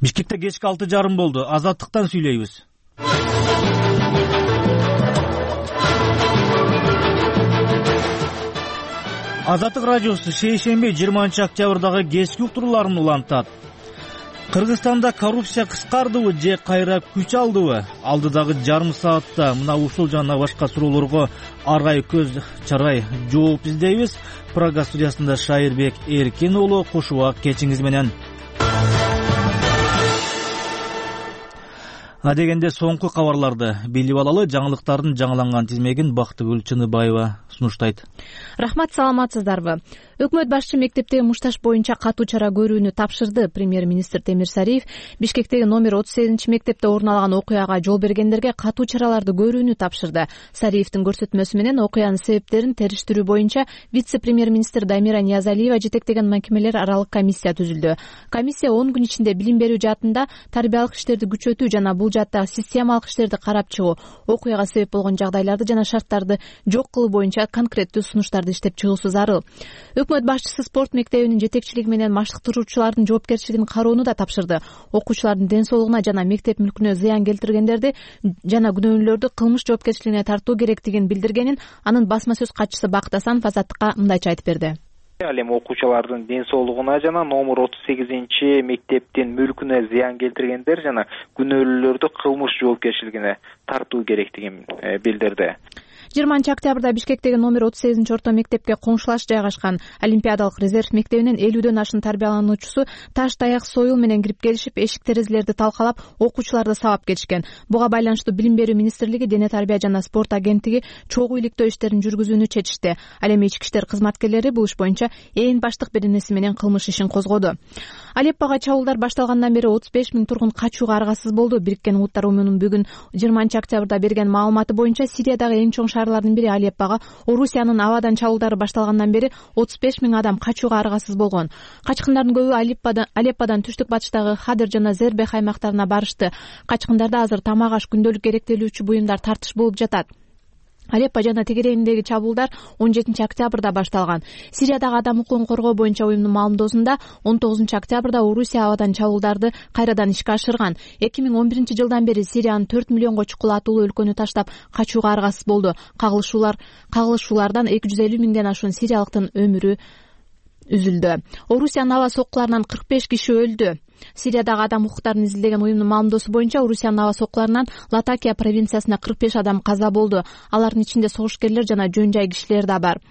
Бишкекте кечки 6:30 болду. Азаттыктан сүйлөйбүз. Азаттык радиосу шейшемби 20 октябрдагы кечки уктурууларын улантат. Кыргызстанда коррупция кыскардыбы же кайра күч алдыбы? Алдыдагы жарым саатта мына ушул жана башка суроолорго аргай көз чарай жооп издейбиз. Прага студиясында Шайырбек Эркин уулу кошубак кечиңиз менен. Адегенде соңку кабарларды билип алалы. Жаңылыктардын жаңыланган тизмегин Бактыгүл Чыныбаева сунуштайт. Рахмат, саламатсыздарбы? Өкмөт башчы мектептеги мушташ боюнча катуу чара көрүүнү тапшырды. Премьер-министр Темир Сариев Бишкектеги номер 38 мектепте орун алган окуяга жол бергендерге катуу чараларды көрүүнү тапшырды. Сариевдин көрсөтмөсү менен окуянын себептерин териштирүү боюнча вице-премьер-министр Дамира Ниязалиева жетектеген мекемелер аралык комиссия түзүлдү. Комиссия 10 күн ичинде билим берүү жаатында тарбиялык иштерди күчөтүү жана бул жааттагы системалык иштерди карап чыгуу, окуяга себеп болгон жагдайларды жана шарттарды жок кылуу боюнча конкреттүү сунуштарды иштеп чыгуусу зарыл. Өкмөт башчысы спорт мектебинин жетекчилиги менен маштыктыруучулардын жоопкерчилигин кароону да тапшырды. Окуучулардын ден соолугуна жана мектеп мүлкүнө зыян келтиргендерди жана күнөөлүүлөрдү кылмыш жоопкерчилигине тартуу керектигин билдиргенин анын басма сөз катчысы Бакыт Асанов Азаттыкка мындайча айтып берди. Ал эми окуучулардын ден соолугуна жана номер 38 мектептин мүлкүнө зыян келтиргендер жана күнөөлүүлөрдү кылмыш жоопкерчилигине тартуу керектигин билдирди. 20 октябрда Бишкектеги номер 38 орто мектепке коңшулаш жайгашкан Олимпиадалык резерв мектебинен 50дөн ашын тарбиялануучусу таш таяк союл менен кирип келишип, эшик терезелерди талкалап, окуучуларды сабап кетишкен. Буга байланыштуу Билим берүү министрлиги Дене тарбия жана спорт агенттиги чогуу иликтөө иштерин жүргүзүүнү чечишти. Ал эми ички иштер кызматкерлери бул иш боюнча ээн баштык беренеси менен кылмыш ишин козгоду. Алеппого чабуулдар башталгандан бери 35 000 тургун качууга аргасыз болду. Бириккен Улуттар уюмунун бүгүн 20 октябрда берген маалыматы боюнча Сириядагы эң чоң шаарлардын бири Алеппого Орусиянын абадан чабуулдары башталгандан бери 35 000 адам качууга аргасыз болгон. Качкындардын көбү Алепподан түштүк батыштагы Хадыр жана Зербех аймактарына барышты. Качкындарда азыр тамак аш, күндөлүк керектелүүчү буюмдар тартыш болуп жатат. Алеппо жана тегерегиндеги чабуулдар 17 октябрда башталган. Сириядагы адам укугун коргоо боюнча уюмдун маалымдоосунда 19 октябрда Орусия абадан чабуулдарды кайрадан ишке ашырган. 2011 жылдан бери Сириянын 4 миллионго чукулатуулуу өлкөнү таштап качууга аргасыз болду. Кагылышуулардан 250 000ден ашуун сириялыктын өмүрү үзүлдү. Орусиянын аба соккуларынан 45 киши өлдү. Сириядагы адам укуктарын изилдеген уюмдун маалымдоосу боюнча Орусиянын аба соккуларынан Латакия провинциясында 45 адам каза болду. Алардын ичинде согушкерлер жана жөн жай кишилер да бар.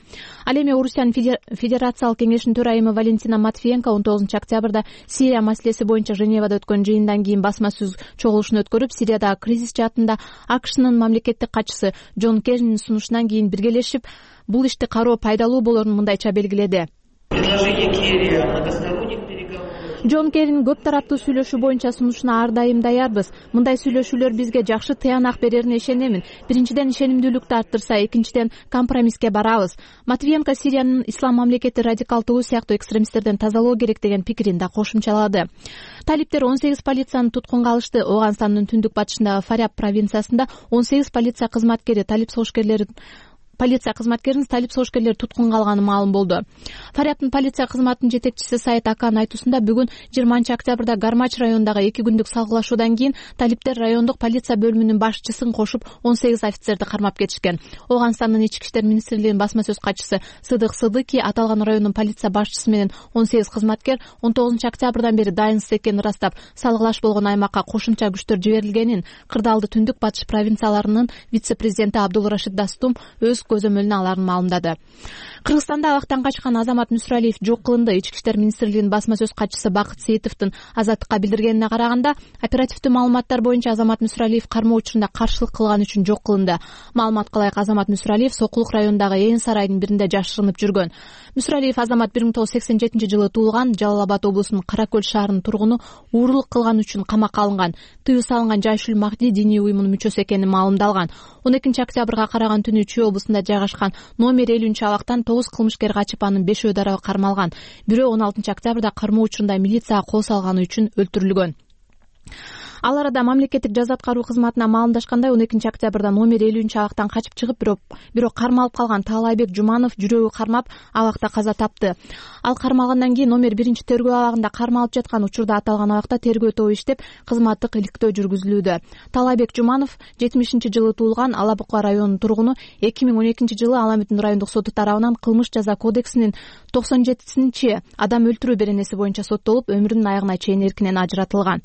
Ал эми Орусиянын Федерациялык кеңешинин төрайымы Валентина Матвиенко 19 октябрда Сирия маселеси боюнча Женевада өткөн жыйындан кийин басма сөз чогулушун өткөрүп, Сириядагы кризис жаатында АКШнын мамлекеттик катчысы Джон Керринин сунушунан кийин биргелешип бул ишти кароо пайдалуу болорун мындайча белгиледи. Джон Керрин көп тараптуу сүйлөшүү боюнча сунушуна ар дайым даярбыз. Мындай сүйлөшүүлөр бизге жакшы тыянак берерине ишенемин. Биринчиден, ишенимдүүлүктү арттырса, экинчиден, компромисске барабыз. Матвиенко Сириянын ислам мамлекети радикалдуу сыяктуу экстремисттерден тазалоо керек деген пикирин да кошумчалады. Талиптер 18 полицияны туткунга алышты. Ооганстандын түндүк батышындагы Фаряб провинциясында 18 полиция кызматкерин талип согушкерлери туткунга алганы маалым болду. Фарябдын полиция кызматынын жетекчиси Сайт Акан айтуусунда бүгүн 20 октябрда Гармач районундагы 2 күндүк салгылашуудан кийин талиптер райондук полиция бөлүмүнүн башчысын кошуп 18 офицерди кармап кетишкен. Ооганстандын ички иштер министрлигинин басма сөз катчысы Сыдык Сыдыки аталган райондун полиция башчысы менен 18 кызматкер 19 октябрдан бери дайынсыз экенин ырастап, салгылаш болгон аймакка кошумча күчтөр жиберилгенин кырдаалды түндүк батыш провинцияларынын вице-президенти Абдулрашид Дастум өз көзөмөлүнө аларын маалымдады. Кыргызстанда абактан качкан Азамат Мүсүралиев жок кылынды. Ички иштер министрлигинин басма сөз катчысы Бакыт Сейитовдун Азаттыкка билдиргенине караганда, оперативдүү маалыматтар боюнча Азамат Мүсүралиев кармоо учурунда каршылык кылган үчүн жок кылынды. Маалыматка ылайык Азамат Мүсүралиев Сокулук районундагы Ээн сарайдын биринде жашырынып жүргөн. Мүсүралиев Азамат 1987 жылы туулган, Жалал Абад облусунун Каракөл шаарынын тургуну, уурулук кылган үчүн камакка алынган. Тыюу салынган Жайшүл Махди диний уюмунун мүчөсү экени маалымдалган. 12 октябрга караган түнү Чүй облусунда жайгашкан номер 50 абактан 9 кылмышкер качып, анын 5-өө дароо кармалган. Бирөө 16 октябрда кармоо учурунда милицияга кол салганы үчүн өлтүрүлгөн. Ал арада мамлекеттик жаза аткаруу кызматына маалымдашкандай 12 октябрда номер 50 абактан качып чыгып, бирок кармалып калган Таалайбек Жуманов жүрөгү кармап абакта каза тапты. Ал кармалгандан кийин номер 1 тергөө абагында кармалып жаткан учурда аталган абакта тергөө тобу иштеп, кызматтык иликтөө жүргүзүлүүдө. Таалайбек Жуманов 70-жылы туулган, Ала Бука районунун тургуну. 2012-жылы Ала Бүтүн райондук соту тарабынан кылмыш жаза кодексинин 97 адам өлтүрүү беренеси боюнча соттолуп, өмүрүнүн аягына чейин эркинен ажыратылган.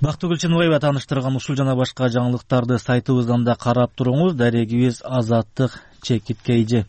Бактыгүл Чыныбаева тааныштырган ушул жана башка жаңылыктарды сайтыбыздан да карап туруңуз. Дарегибиз Азаттык Чекиткейжи.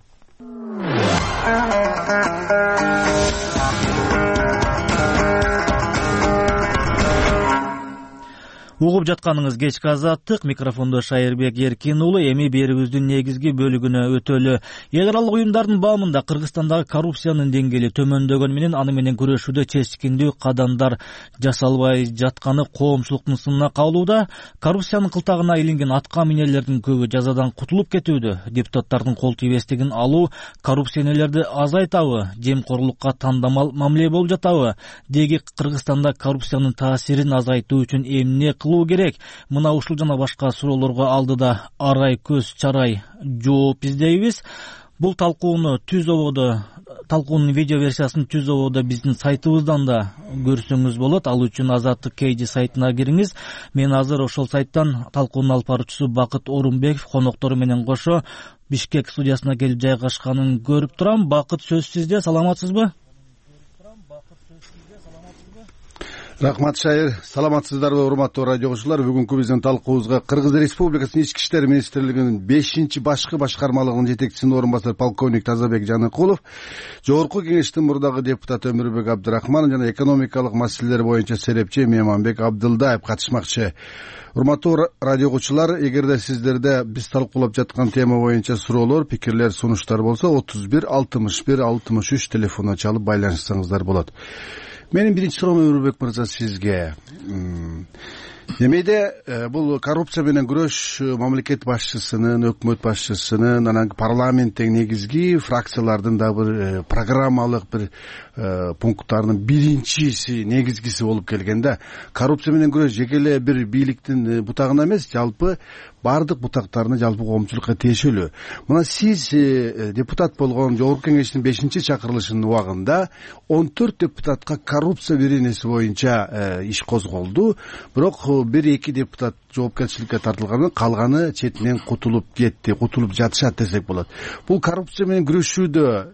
Угуп жатканыңыз кечки Азаттык, микрофондо Шайырбек Эркин уулу. Эми берүүбүздүн негизги бөлүгүнө өтөлү. Эл аралык уюмдардын баамында Кыргызстандагы коррупциянын деңгээли төмөндөгөнү менен аны менен күрөшүүдө чечкиндүү кадамдар жасалбай жатканы коомчулуктун сынына кабылууда. Коррупциянын кылтагына илинген атка минерлердин көбү жазадан кутулуп кетүүдө. Депутаттардын кол тийбестигин алуу коррупционерлерди азайтабы, жемкорлукка тандамал мамиле болуп жатабы? Деги Кыргызстанда коррупциянын таасирин азайтуу үчүн эмне кылуу керек? Мына ушул жана башка суроолорго алдыда арай көз чарай жооп издейбиз. Бул талкуунун видео версиясын түз ободо биздин сайтыбыздан да көрсөңүз болот. Ал үчүн Азаттык KG сайтына кириңиз. Мен азыр ошол сайттан талкуунун алып баруучусу Бакыт Орунбеков коноктору менен кошо Бишкек студиясына келип жайгашканын көрүп турам. Бакыт, сөз сизде. Саламатсызбы? Рахмат, Шайыр. Саламатсыздарбы, урматтуу радио окуучулар? Бүгүнкү биздин талкуубузга Кыргыз Республикасынын Ички иштер министрлигинин 5-башкы башкармалыгынын жетекчисинин орун басары полковник Тазабек Жаныкулов, Жогорку Кеңештин мурдагы депутаты Өмүрбек Абдрахманов жана экономикалык маселелер боюнча серепчи Меманбек Абдылдаев катышмакчы. Урматтуу радио окуучулар, эгерде сиздерде биз талкуулап жаткан тема боюнча суроолор, пикирлер, сунуштар болсо 31 61 63 телефонуна чалып байланышсаңыздар болот. Менин биринчи суроом, Өмүрбек мырза, сизге. Немеде бул коррупция менен күрөш мамлекет башчысынын, өкмөт башчысынын, анан парламенттеги негизги фракциялардын да бир программалык бир пункттарынын биринчиси, негизгиси болуп келген да. Коррупция менен күрөш жеке эле бир бийликтин бутагына эмес, жалпы бардык бутактарына, жалпы коомчулукка тиешелүү. Мына сиз депутат болгон Жогорку Кеңештин 5-чакырылышынын убагында 14 депутатка коррупция беренеси боюнча иш козголду. Бирок 1-2 депутат жоопкерчиликке тартылган, калганы четинен кутулуп кетти, кутулуп жатышат десек болот. Бул коррупция менен күрөшүүдө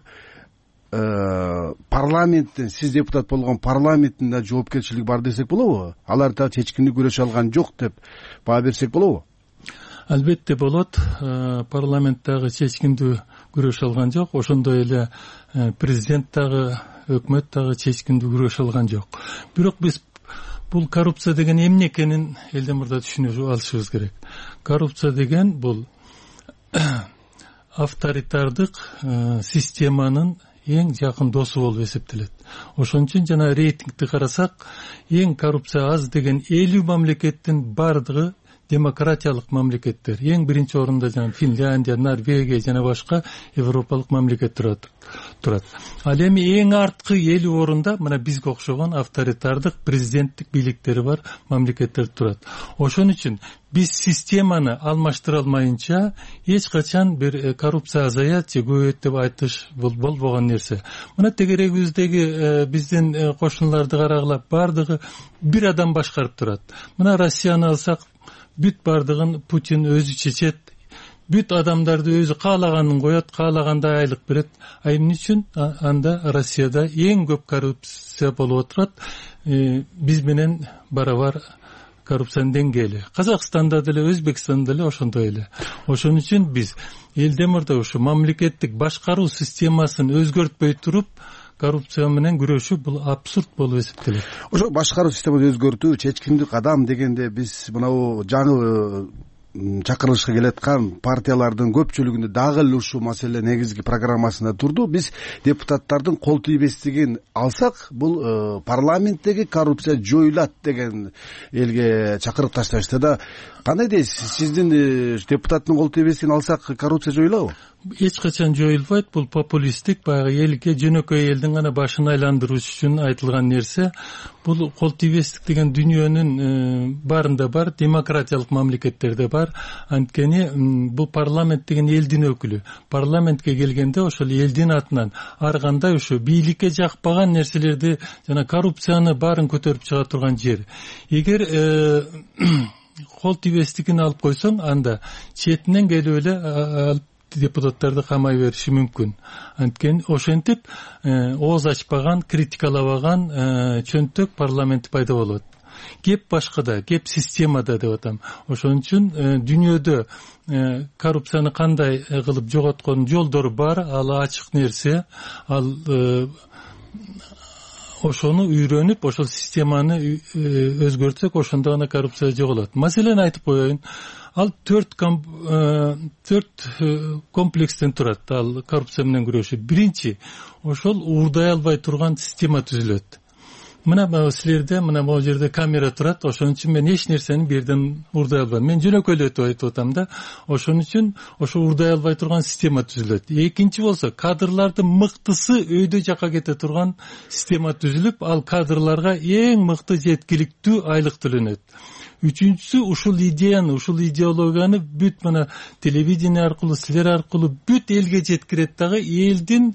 парламенттин, сиз депутат болгон парламенттин да жоопкерчилиги бар десек болобу? Алар да чечкиндүү күрөшө алган жок деп баа берсек болобу? Албетте болот. Парламент дагы чечкиндүү күрөшө алган жок. Ошондой эле президент дагы, өкмөт дагы чечкиндүү күрөшө алган жок. Бирок биз бул коррупция деген эмне экенин элден мурда түшүнүп алышыбыз керек. Коррупция деген бул авторитардык системанын эң жакын досу болуп эсептелет. Ошон үчүн жана рейтингди карасак, эң коррупция аз деген 50 мамлекеттин бардыгы демократиялык мамлекеттер. Эң биринчи орунда жана Финляндия, Норвегия жана башка европалык мамлекет турат. Ал эми эң арткы 50 орунда мына бизге окшогон авторитардык президенттик бийликтери бар мамлекеттер турат. Ошон үчүн биз системаны алмаштыра алмайынча эч качан бир коррупция азаят же көбөйөт деп айтыш болбогон нерсе. Мына тегерегибиздеги биздин кошуналарды карагыла, бардыгы бир адам башкарып турат. Мына Россияны алсак, бүт бардыгын Путин өзү чечет, бүт адамдарды өзү каалаганын коет, каалагандай айлык берет. Эмне үчүн анда Россияда эң көп коррупция болуп отурат? Биз менен барабар коррупциянын деңгээли. Казакстанда деле, Өзбекстанда деле ошондой эле. Ошон үчүн биз элден мурда ушу мамлекеттик башкаруу системасын өзгөртпөй туруп, коррупция менен күрөшүү бул абсурд болуп эсептелет. Ошо башкаруу системасын өзгөртүү, чечкиндүү кадам дегенде биз мынау жаңы чакырылышка келаткан партиялардын көпчүлүгүндө дагы эле ушул маселе негизги программасында турду. Биз депутаттардын кол тийбестигин алсак, бул парламенттеги коррупция жоюлат деген элге чакырып ташташты да. Кандай дейсиз? Сиздин депутаттын кол тийбестигин алсак, коррупция жоюлабы? эч качан жоюлбайт. Бул популисттик, баягы элге жөнөкөй элдин гана башын айландырыш үчүн айтылган нерсе. Бул кол тийбестик деген дүйнөнүн баарында бар, демократиялык мамлекеттерде бар. Анткени бул парламент деген элдин өкүлү. Парламентке келгенде ошол элдин атынан ар кандай ошо бийликке жакпаган нерселерди жана коррупцияны баарын көтөрүп чыга турган жер. Эгер кол тийбестигин алып койсоң, анда четинен келип эле депутаттарды камай бериши мүмкүн. Анткени ошентип ооз ачпаган, критикалабаган чөнтөк парламент пайда болот. Кеп башкада, кеп системада деп атам. Ошон үчүн дүйнөдө коррупцияны кандай кылып жоготкон жолдору бар, ал ачык нерсе. Ал ошону үйрөнүп, ошол системаны өзгөртсөк, ошондо гана коррупция жоголот. Маселени айтып коеюн. Ал 4 комплекстен турат. Ал коррупция менен күрөшүү. Биринчи, ошол уурдай албай турган система түзүлөт. Мына силерде, мына могу жерде камера турат. Ошон үчүн мен эч нерсени бу жерден уурдай албайм. Мен жөнөкөйлөтүп айтып атам да. Ошон үчүн ошо уурдай албай турган система түзүлөт. Экинчи болсо, кадрлардын мыктысы өйдө жака кете турган система түзүлүп, ал кадрларга эң мыкты жеткиликтүү айлык төлөнөт. Үчүнчүсү, ушул идеяны, ушул идеологияны бүт мына телевидение аркылуу, силер аркылуу бүт элге жеткирет дагы, элдин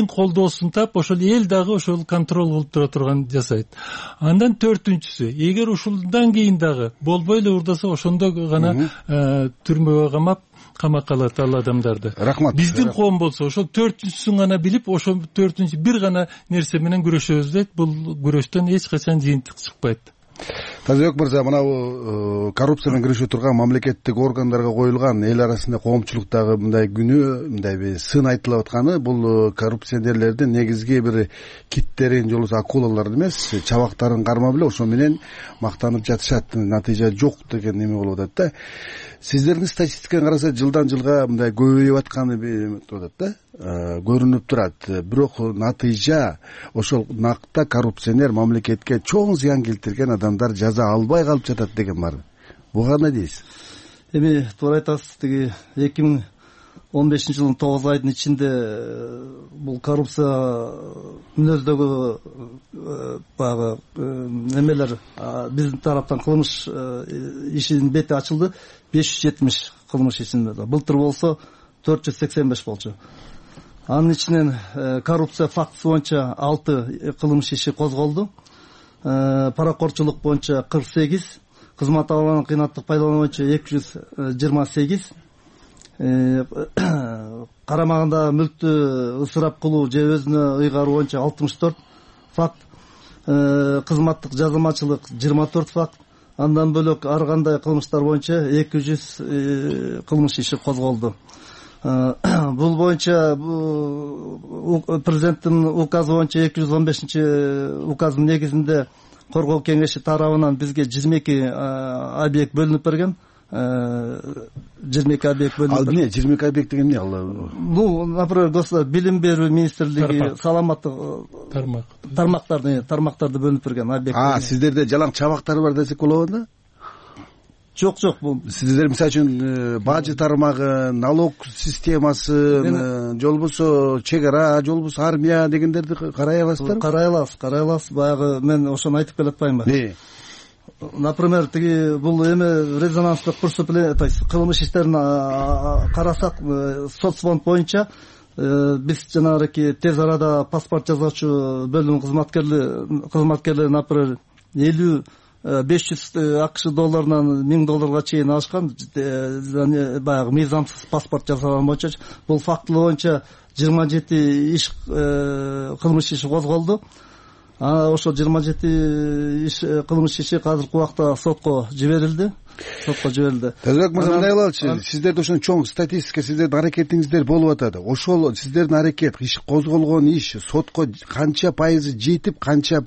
колдоосун тап, ошол эл дагы ошол контроль кылып тура турган жасайт. Андан төртүнчүсү, эгер ушулдан кийин дагы болбой эле урдаса, ошондо гана түрмөгө камап, камакка алат ал адамдарды. Рахмат. Биздин коом болсо ошол төртүнчүсүн гана билип, ошол төртүнчү бир гана нерсе менен күрөшөбүз дейт. Бул күрөштөн эч качан жыйынтык чыкпайт. Тазыбек мырза, мына коррупция менен күрөшө турган мамлекеттик органдарга коюлган эл арасында коомчулуктагы мындай күнөө, мындай бир сын айтылып атканы, бул коррупционерлердин негизги бир киттерин, же болбосо акулаларын эмес, чабактарын кармап эле ошо менен мактанып жатышат, натыйжа жок деген неме болуп атат да. Сиздердин статистиканы караса, жылдан жылга мындай көбөйүп атканы болуп атат да, көрүнүп турат. Бирок натыйжа ошол накта коррупционер мамлекетке чоң зыян келтирген адамдар жаза албай калып жатат деген бар. Буга эмне дейсиз? Эми туура айтасыз. Тиги 2015-жылдын 9 айдын ичинде бул коррупция мүнөздөгү баягы немелер биздин тараптан кылмыш ишинин бети ачылды. 570 кылмыш ишинде. Былтыр болсо 485 болчу. Анын ичинен коррупция фактысы боюнча 6 кылмыш иши козголду. Паракорчулук боюнча 48, кызмат алган кыйнаттык пайдалануу боюнча 228, карамагында мүлктү ысырап кылуу же өзүнө ыйгаруу боюнча 64 факт, кызматтык жазылмачылык 24 факт. Андан бөлөк ар кандай кылмыштар боюнча 200 кылмыш иши козголду. Бул боюнча президенттин указы боюнча 215-указдын негизинде коргоо кеңеши тарабынан бизге 22 объект бөлүнүп берген. 22 объект бөлүнүп. Ал эмне 22 объект деген эмне? Ну, например, билим берүү министрлиги, саламаттык тармактарды бөлүнүп берген объект. Сиздерде жалаң чабактар бар десек болобу да? Жок, бул сиздер мисалы үчүн бажы тармагы, налог системасы, же болбосо чек ара, же болбосо армия дегендерди карай аласыздар? Карай аласыз. Баягы мен ошону айтып келатпаймынбы? Например, тиги бул эми резонанстык преступление, то есть кылмыш иштерин карасак, соцфонд боюнча биз жанагы тез арада паспорт жасоочу бөлүм кызматкерлери, например, 500 АКШ долларынан $1000 чейин алышкан, баягы мыйзамсыз паспорт жасаган боюнча. Бул фактылы боюнча 27 иш кылмыш иши козголду. Ошо 27 кылмыш иши азыркы убакта сотко жиберилди. Тазыбек мырза, мындай кылалычы, сиздерде ошон чоң статистика, сиздердин аракетиңиздер болуп атат. Ошол сиздердин аракет, иш козголгон иш сотко канча пайызы жетип, канча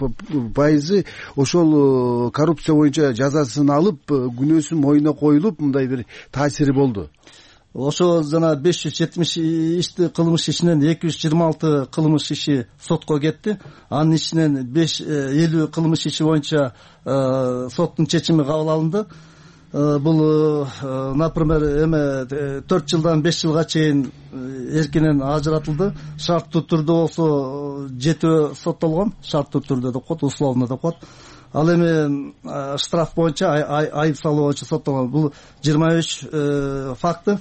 пайызы ошол коррупция боюнча жазасын алып, күнөөсүн мойнуна коюлуп, мындай бир таасири болду? Ошо жана 570 кылмыш ишинен 226 кылмыш иши сотко кетти. Анын ичинен 50 кылмыш иши боюнча соттун чечими кабыл алынды. бул например эме 4 жылдан 5 жылга чейин эркинен ажыратылды. Шарттуу түрдө болсо 7 соттолгон, шарттуу түрдө деп коет, условно деп коет. Ал эми штраф боюнча, айып салуу боюнча соттолгон. Бул 23 факты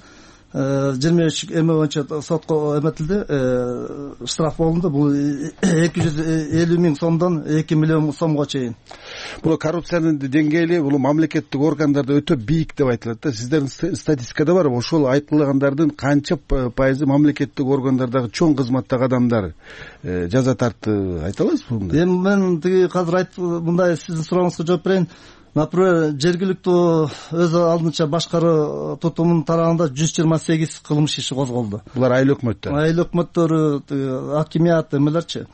23 эме боюнча сотко эметилди, штраф болду. Бул 250 миң сомдон 2 миллион сомго чейин. Бул коррупциянын деңгээли бул мамлекеттик органдарда өтө бийик деп айтылат да. Сиздердин статистикада барбы? Ошол айтылгандардын канча пайызы мамлекеттик органдардагы чоң кызматтагы адамдар жаза тартты, айта аласызбы? Эми мен тиги азыр мындай сиздин сурооңузга жооп берейин. Например, жергиликтүү өз алдынча башкаруу тутумунун тарабында 128 кылмыш иши козголду. Булар айыл өкмөттөр. Айыл өкмөттөрү, акимият эмелерчи.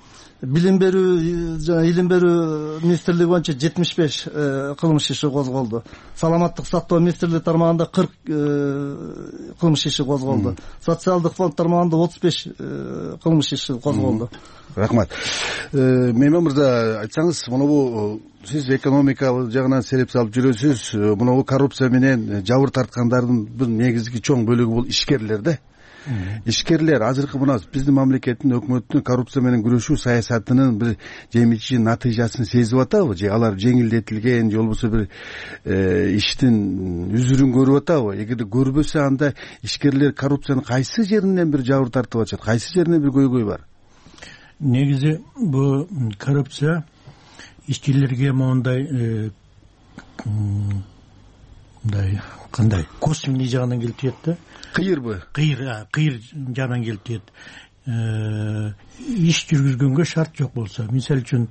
Билим берүү жана илим берүү министрлиги боюнча 75 кылмыш иши козголду. Саламаттык сактоо министрлиги тармагында 40 кылмыш иши козголду. Социалдык фонд тармагында 35 кылмыш иши козголду. Рахмат. Мейман мырза, айтсаңыз, мынабу сиз экономикалык жагынан сереп салып жүрөсүз. Мынабу коррупция менен жабыр тарткандардын бир негизги чоң бөлүгү бул ишкерлер да. Ишкерлер азыркы мына биздин мамлекеттин өкмөттүн коррупция менен күрөшүү саясатынын бир жемичи натыйжасын сезип атабы? Же алар жеңилдетилген, же болбосо бир иштин үзүрүн көрүп атабы? Эгерде көрбөсө, анда ишкерлер коррупциянын кайсы жеринен бир жабыр тартып атышат, кайсы жеринен бир көйгөй бар? Негизи бул коррупция ишчилерге моундай мындай кандай косвенный жагынан келип тиет да. Кыйырбы? Кыйыр жагынан келип тиет. Иш жүргүзгөнгө шарт жок болсо, мисалы үчүн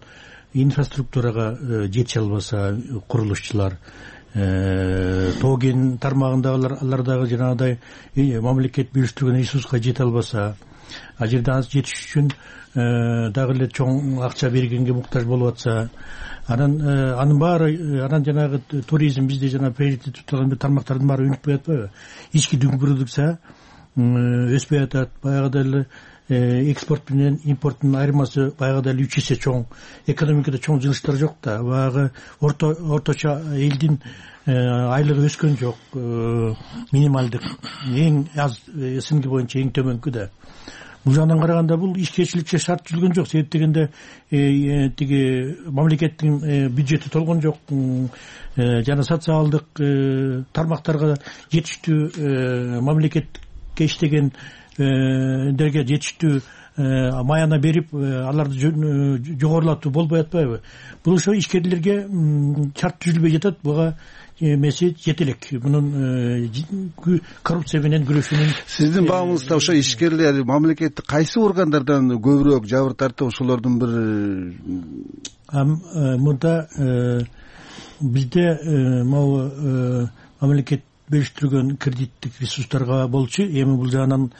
инфраструктурага жете албаса курулушчулар, тоо кен тармагындагылар, алардагы жанагыдай мамлекет бөлүштүргөн ресурска жете албаса, ал жерде аз жетиш үчүн дагы эле чоң акча бергенге муктаж болуп атса, анын баары, анан жанагы туризм бизде жана приоритет туткан бир тармактардын баары өнүкпөй атпайбы? Ички продукция өспөй атат. Баягыда эле экспорт менен импорттун айырмасы баягыда эле 3 эсе чоң. Экономикада чоң жылыштар жок да. Баягы орточо элдин айлыгы өскөн жок. Минималдык, эң аз СНГ боюнча эң төмөнкү да. Бул жагынан караганда бул ишкерчиликке шарт түзүлгөн жок. Себеп дегенде тиги мамлекеттин бюджети толгон жок. Жана социалдык тармактарга жетиштүү мамлекетке иштеген дерге жетиштүү маяна берип, аларды жогорулатуу болбой атпайбы? Бул ошо ишкерлерге шарт түзүлбөй жатат. Буга эмеси жетелек. Мунун коррупция менен күрөшүүнүн сиздин баамыңызда ошо ишкерлер мамлекеттик кайсы органдардан көбүрөөк жабыр тартып, ошолордун бир мында бизде могу мамлекет бөлүштүргөн кредиттик ресурстарга болчу. Эми бул жагынан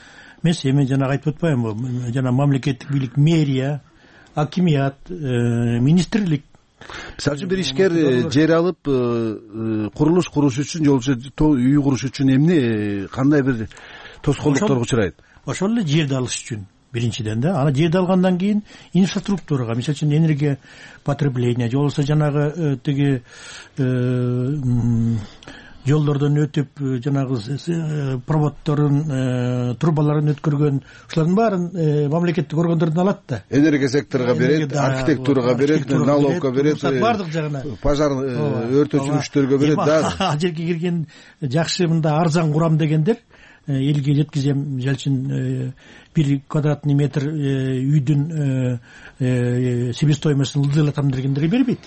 эмес, эми жанагы айтып атпаймынбы? Жана мамлекеттик бийлик, мэрия, акимият, министрлик. Мисалы үчүн бир ишкер жер алып курулуш куруш үчүн, же болбосо үй куруш үчүн эмне, кандай бир тоскоолдукторго учурайт? Ошол эле жерди алыш үчүн биринчиден да. Ана жерди алгандан кийин инфраструктурага, мисалы үчүн энергия потребление, же болбосо жанагы тиги жолдордон өтүп, жанагы проводдорун, трубаларын өткөргөн, ушулардын баарын мамлекеттик органдардан алат да. Энергия секторуга берет, архитектурага берет, налогко берет, бардык жагына. Пожар өртөчүлүктөргө берет да. Ал жерге кирген жакшы мында арзан курам дегендер элге жеткизем, мисалы үчүн 1 квадратный метр үйдүн себестоимостун ылдыйлатам дегендерге бербейт.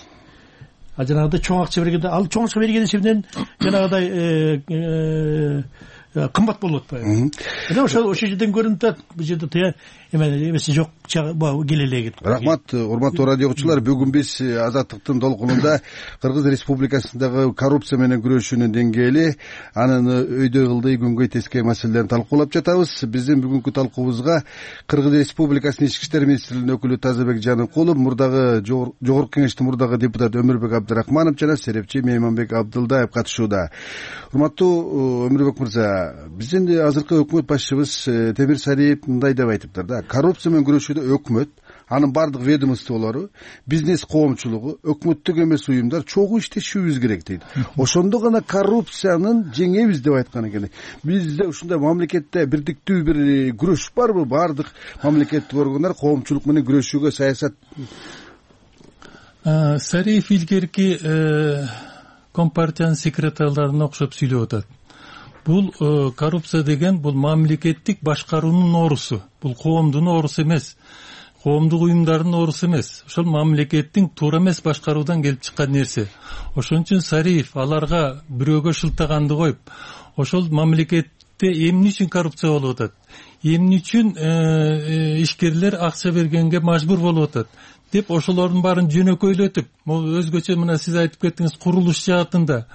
А жанагыдай чоң акча бергенде, ал чоң акча берген эсебинен жанагыдай кымбат болуп атпайбы? Мына ошол жерден көрүнүп атат. Бул жерде эмеси жок, келе эле. Рахмат, урматтуу радио угуучулар. Бүгүн биз Азаттыктын долкунунда Кыргыз Республикасындагы коррупция менен күрөшүүнүн деңгээли, анын өйдөй кылдый күнгөй тескей маселелерин талкуулап жатабыз. Биздин бүгүнкү талкуубузга Кыргыз Республикасынын Ички иштер министрлигинин өкүлү Тазабек Жаныкулов, мурдагы жогорку кеңештин мурдагы депутат Өмүрбек Абдрахманов жана серепчи Мейманбек Абдылдаев катышууда. Урматтуу Өмүрбек мырза, биздин азыркы өкмөт башчыбыз Темир Сариев мындай деп айтыптыр да: коррупция менен күрөшүүдө өкмөт анын баардык ведомстволору, бизнес коомчулугу, өкмөттүк эмес уюмдар чогуу иштешибиз керек дейт. Ошондо гана коррупциянын жеңебиз деп айткан экен. Бизде ушундай мамлекетте бирдиктүү бир күрөш барбы? Баардык мамлекеттик органдар коомчулук менен күрөшүүгө саясат. Сариев илгерки компартиянын секретарларына окшоп сүйлөп атат. Бул коррупция деген бул мамлекеттик башкаруунун оорусу. Бул коомдун оорусу эмес. Коомдук уюмдардын оорусу эмес. Ошол мамлекеттин туура эмес башкаруудан келип чыккан нерсе. Ошон үчүн Сариев аларга бирөөгө шылтаганды коюп, ошол мамлекетте эмне үчүн коррупция болуп атат? Эмне үчүн ишкерлер акча бергенге мажбур болуп атат деп ошолордун баарын жөнөкөйлөтүп, өзгөчө мына сиз айтып кеттиңиз, курулуш жаатында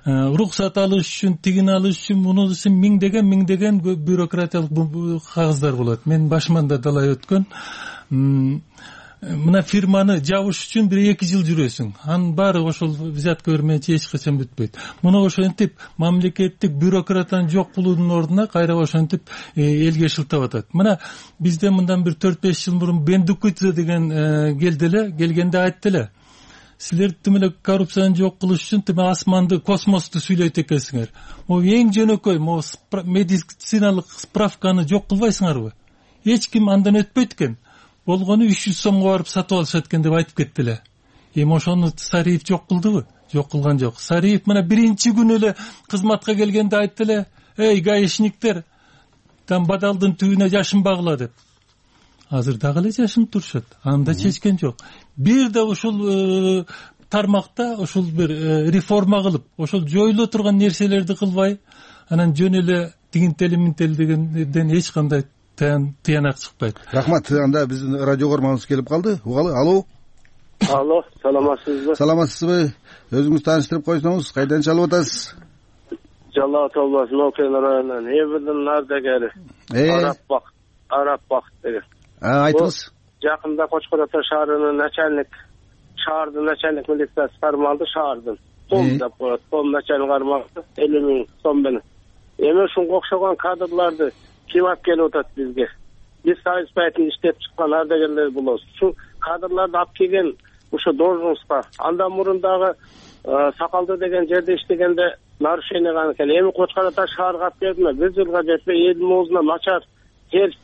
уруксат алыш үчүн, тигин алыш үчүн, муну үчүн миңдеген бюрократиялык кагаздар болот. Мен башыман да далай өткөн. Мына фирманы жабыш үчүн 1-2 жыл жүрөсүң. Анын баары ошол взятка бермейинче эч качан бүтпөйт. Муну ошентип мамлекеттик бюрократаны жок кылуунун ордуна кайра ошентип элге шылтап атат. Мына бизде мындан бир 4-5 жыл мурун Бендукидзе деген келгенде айтты эле. Силер тимеле коррупцияны жок кылыш үчүн тиме асманды, космосту сүйлөйт экенсиңер. Могу эң жөнөкөй, могу медициналык справканы жок кылбайсыңарбы? Эч ким андан өтпөйт экен. Болгону 300 сомго барып сатып алышат экен деп айтып кетти эле. Эми ошону Сариев жок кылдыбы? Жок кылган жок. Сариев мына биринчи күнү эле кызматка келгенде айтты эле: "Эй, гаишниктер, там бадалдын түбүнө жашынбагыла" деп. Азыр дагы эле жашынып турушат. Анда чечкен жок. Бир да ушул тармакта ушул бир реформа кылып, ошол жоюла турган нерселерди кылбай, анан жөн эле тигинтели дегенден эч кандай тыянак чыкпайт. Рахмат. Анда биздин радио көрмөбүз келип калды. Угалы. Алло. Алло, саламатсызбы? Саламатсызбы? Өзүңүз тааныштырып койсоңуз, кайдан чалып атасыз? Жалал Ат обласынын Окен районунан Эбирдин ардагери. Арап деген. Айтыңыз. Жакында Кочкор Ата шаарынын шаардын начальник милициясы кармалды, шаардын. Том деп коет. Том начальник кармалды 50 000 сом менен. Эми ушунга окшогон кадрларды ким алып келип атат бизге? Биз Союз байтын иштеп чыккан ардагерлер болобуз. Ушул кадрларды алып келген ушу должностка андан мурун дагы Сакалды деген жерде иштегенде нарушение кылган экен. Эми Кочкор Ата шаарга алып келдиме? Бир жылга жетпей элдин оозуна начар терс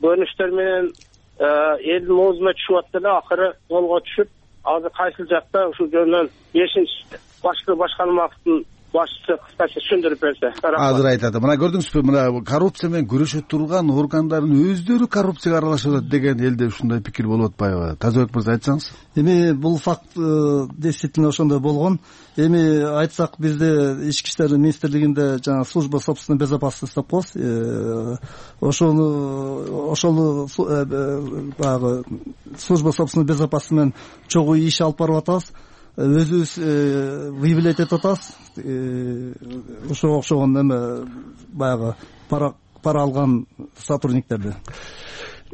бөлүштөр менен элдин оозуна түшүп атты эле, акыры колго түшүп, азыр кайсыл жакта ушул жөнүнөн 5-башкы башкармалыктын башчысы кыскача түшүндүрүп берсе. Азыр айтат. Мына көрдүңүзбү, мына коррупция менен күрөшө турган органдардын өздөрү коррупцияга аралашып атат деген элде ушундай пикир болуп атпайбы? Тазабек мырза, айтсаңыз. Эми бул факт действительно ошондой болгон. Эми айтсак, бизде Ички иштер министрлигинде жана служба собственной безопасности деп коебуз. Ошол баягы служба собственной безопасности менен чогуу иш алып барып атабыз. Өзүбүз выявлять этип атабыз. Ошого окшогон эме баягы пара алган сотрудниктерди.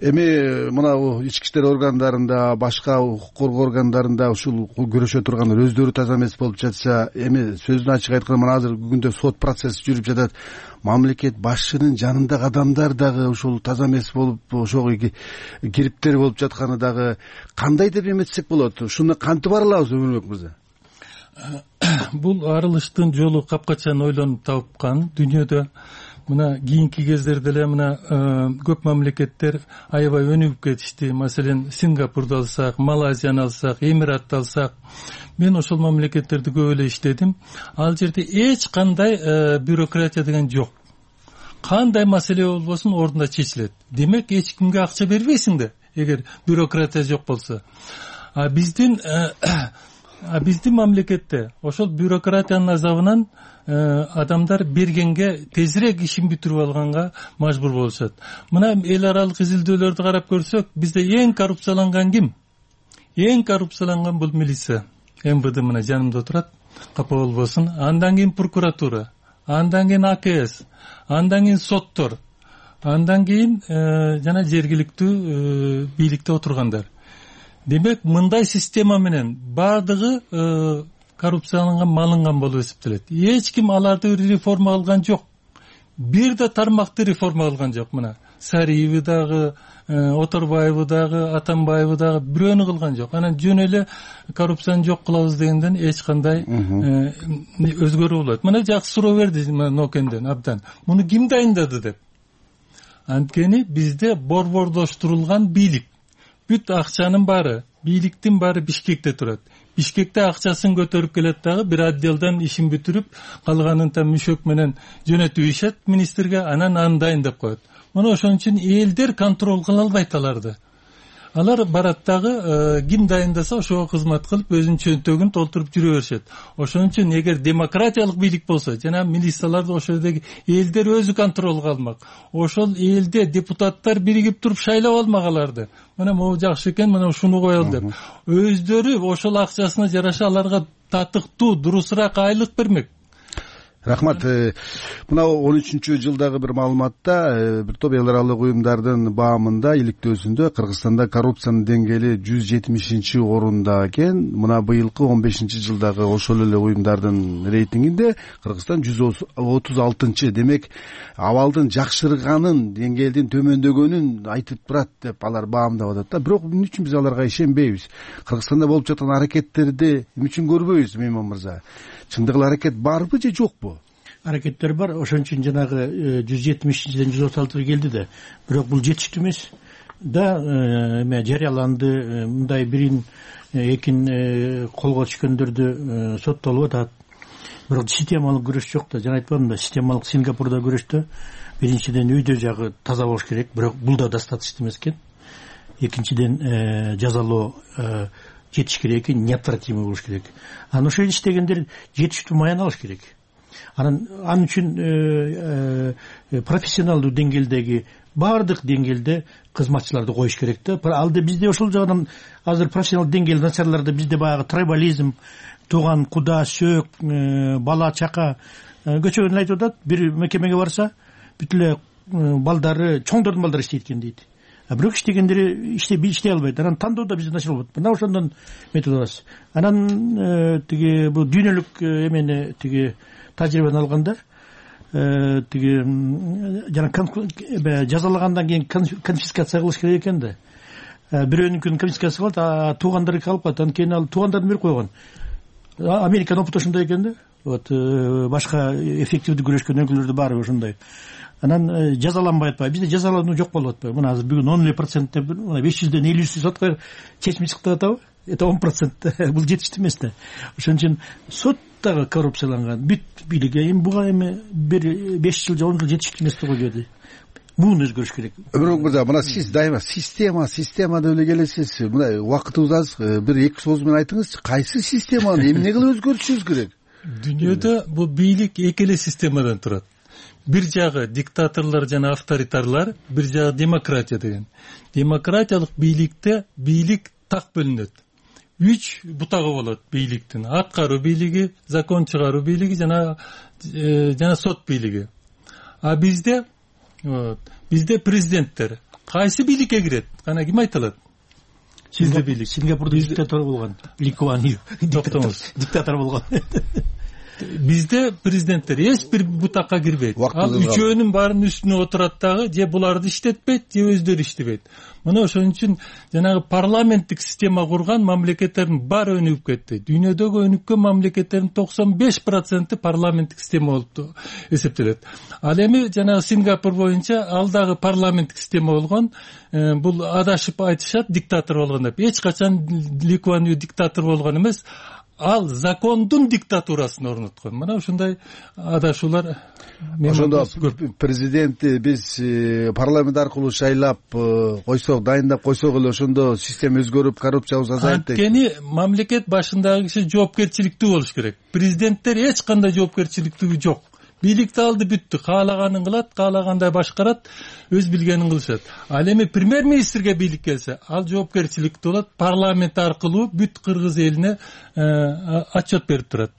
Эми мына ички иштер органдарында, башка укук коргоо органдарында ушул күрөшө тургандар өздөрү таза эмес болуп жатса, эми сөзүн ачык айтканда мына азыр күндө сот процесси жүрүп жатат. Мамлекет башчынын жанындагы адамдар дагы ушул таза эмес болуп, ошого кириптер болуп жатканы дагы кандай деп эметсек болот? Ушуну кантип аралабыз, Өмүрбек мырза? Бул арылыштын жолу капкачан ойлонуп тапкан дүйнөдө. Мына кийинки кездерде эле мына көп мамлекеттер аябай өнүгүп кетишти. Маселен, Сингапурду алсак, Малайзияны алсак, Эмиратты алсак, мен ошол мамлекеттерди көп эле иштедим. Ал жерде эч кандай бюрократия деген жок. Кандай маселе болбосун ордунда чечилет. Демек, эч кимге акча бербейсиң да, эгер бюрократия жок болсо. Биздин мамлекетте ошол бюрократиянын азабынан адамдар бергенге тезирээк ишин бүтүрүп алганга мажбур болушат. Мына эл аралык изилдөөлөрдү карап көрсөк, бизде эң коррупцияланган ким? Эң коррупцияланган бул милиция. МВД мына жанымда отурат, капа болбосун. Андан кийин прокуратура, андан кийин АКС, андан кийин соттор, андан кийин жана жергиликтүү бийликте отургандар. Демек, мындай система менен баардыгы коррупцияланган, малынган болуп эсептелет. Эч ким аларды реформа кылган жок. Бир да тармакты реформа кылган жок. Мына Сариеви дагы, Оторбаеву дагы, Атамбаеву дагы бирөөнү кылган жок. Анан жөн эле коррупцияны жок кылабыз дегенден эч кандай өзгөрүү болот. Мына жакшы суроо берди Нокенден абдан. Муну ким дайындады деп. Анткени бизде борбордоштурулган бийлик. Бүт акчанын баары, бийликтин баары Бишкекте турат. Бишкекте акчасын көтөрүп келет дагы бир отделден ишин бүтүрүп, калганын мүшөк менен жөнөтүп ишет министрге, анан аны дайындап коет. Мына ошон үчүн элдер контроль кыла албайт аларды. Алар барат дагы ким дайындаса ошого кызмат кылып, өзүнүн чөнтөгүн толтуруп жүрө беришет. Ошон үчүн эгер демократиялык бийлик болсо, жана милицияларды ошол жердеги элдер өзү контролго алмак. Ошол элде депутаттар биригип туруп шайлап алмак аларды. Мына могу жакшы экен, мына ушуну коелу деп. Өздөрү ошол акчасына жараша аларга татыктуу, дурусураак айлык бермек. Рахмат. Мына 13-жылдагы бир маалыматта бир топ эл аралык уюмдардын баамында иликтөөсүндө Кыргызстанда коррупциянын деңгээли 170-орунда экен. Мына быйылкы 15-жылдагы ошол эле уюмдардын рейтингинде Кыргызстан 136. Демек, абалдын жакшырганын, деңгээлдин төмөндөгөнүн айтып турат деп алар баамдап атат да. Бирок эмне үчүн биз аларга ишенбейбиз? Кыргызстанда болуп жаткан аракеттерди эмне үчүн көрбөйбүз, Мейман мырза? Чындыгында аракет барбы же жокпу? Аракеттер бар. Ошон үчүн жанагы 170-ден 136-га келди да. Бирок бул жетиштүү эмес. Да жарыяланды, мындай бирин экин колго түшкөндөрдү соттолуп атат. Бирок системалык күрөш жок да. Жана айтпадым да, системалык Сингапурда күрөштө биринчиден үйдө жагы таза болуш керек, бирок бул да достаточно эмес экен. Экинчиден жазалоо жетиш керек экен, неотвратимый болуш керек. Анан ошол иштегендер жетиштүү маян алыш керек. Анан үчүн профессионалдуу деңгээлдеги баардык деңгээлде кызматчыларды коюш керек да. Алда бизде ошол жагынан азыр профессионалдуу деңгээл начарларда бизде баягы трибализм, тууган куда, сөөк, бала чака көчөгөн айтып атат. Бир мекемеге барса, бүт эле балдары, чоңдордун балдары иштейт экен дейт. Бирок иштегендери иштей албайт. Анан тандоодо бизде начар болот. Мына ошондон метод алабыз. Анан тиги бул дүйнөлүк эмени тиги тажрыйбаны алгандар тиги жана жазалагандан кийин конфискация кылыш керек экен да. Бирөөнүкүн конфискация кылат, а туугандарыкі алып калат. Анан кийин ал туугандарын берип койгон. Американын опыты ошондой экен да. Вот башка эффективдүү күрөшкөн өлкөлөрдө баары ошондой. Анан жазаланбай атпайбы. Бизде жазалануу жок болуп атпайбы. Мына азыр бүгүн 10% деп 500ден 50 сотко чечим чыктып атабы? Это 10%. Бул жетиштүү эмес да. Ошон үчүн соттагы коррупцияланган бүт бийлик эми буга эми бир 5 жыл же 10 жыл жетиштүү эмес деп койду. Буну өзгөрүш керек. Бирок мына сиз дайыма система деп эле келесиз. Мына убакытыбыз аз, бир 2 сөз менен айтыңызчы, кайсы системаны эмне кылып өзгөртүшүбүз керек? Дүйнөдө бул бийлик эки эле системадан турат. Бир жагы диктаторлор жана авторитарлар, бир жагы демократия деген. Демократиялык бийликте бийлик так бөлүнөт. 3 бутагы болот бийликтин: аткаруу бийлиги, закон чыгаруу бийлиги жана сот бийлиги. А бизде президенттер кайсы бийликке кирет? Кана ким айта алат? Сизде бийлик. Сингапурда диктатор болгон. Ли Куан Ю диктатор болгон. Бизде президенттер эч бир бутакка кирбейт. Ал үчөөнүн баарынын үстүнө отурат дагы, же буларды иштетпейт, же өздөрү иштебейт. Мына ошон үчүн жанагы парламенттик система курган мамлекеттердин баары өнүгүп кетти. Дүйнөдөгү өнүккөн мамлекеттердин 95% парламенттик система болуп эсептелет. Ал эми жанагы Сингапур боюнча ал дагы парламенттик система болгон. Бул адашып айтышат диктатор болгон деп. Эч качан Ли Куан Ю диктатор болгон эмес. Ал закондун диктатурасын орноткон. Мына ушундай адашуулар. Ошондо президентти биз парламент аркылуу шайлап койсок, дайындап койсок эле ошондо система өзгөрүп, коррупциябыз азайат дейт. Анткени мамлекет башындагы киши жоопкерчиликтүү болуш керек. Президенттер эч кандай жоопкерчиликтүү жок. Бийликти алды бүттү, каалаганын кылат, каалагандай башкарат, өз билгенин кылышат. Ал эми премьер-министрге бийлик келсе, ал жоопкерчиликтүү болот, парламент аркылуу бүт кыргыз элине отчет берип турат.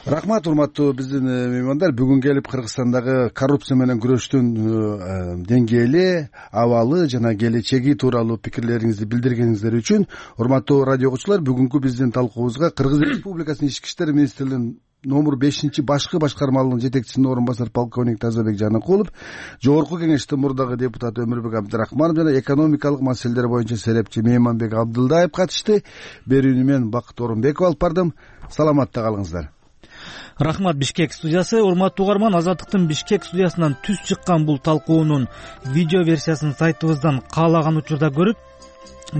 Рахмат, урматтуу биздин меймандар. Бүгүн келип Кыргызстандагы коррупция менен күрөштүн деңгээли, абалы жана келечеги тууралуу пикирлериңизди билдиргениңиздер үчүн урматтуу радио угуучулар, бүгүнкү биздин талкуубузга Кыргыз Республикасынын Ички иштер министрлигинин номер 5 башкы башкармалыгынын жетекчисинин орун басары полковник Тазабек Жаныкулов, жогорку кеңештин мурдагы депутаты Өмүрбек Абдрахманов жана экономикалык маселелер боюнча серепчи Мейманбек Абдылдаев катышты. Берүүнү мен Бакыт Орунбеков алып бардым. Саламатта калыңыздар. Рахмат. Бишкек студиясы. Урматтуу угарман, Азаттыктын Бишкек студиясынан түз чыккан бул талкуунун видео версиясын сайтыбыздан каалаган учурда көрүп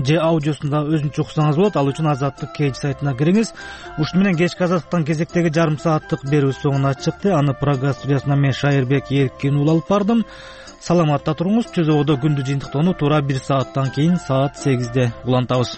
же аудиосунда өзүнчө уксаңыз болот. Ал үчүн Азаттык кейж сайтына кириңиз. Ушуну менен кечки Азаттыктан кезектеги жарым сааттык берүү соңуна чыкты. Аны Прага студиясынан мен Шайырбек Эркин уулу алып бардым. Саламатта туруңуз. Чөз ободо күндү жыйынтыктоону туура 1 сааттан кийин саат 8-де улантабыз.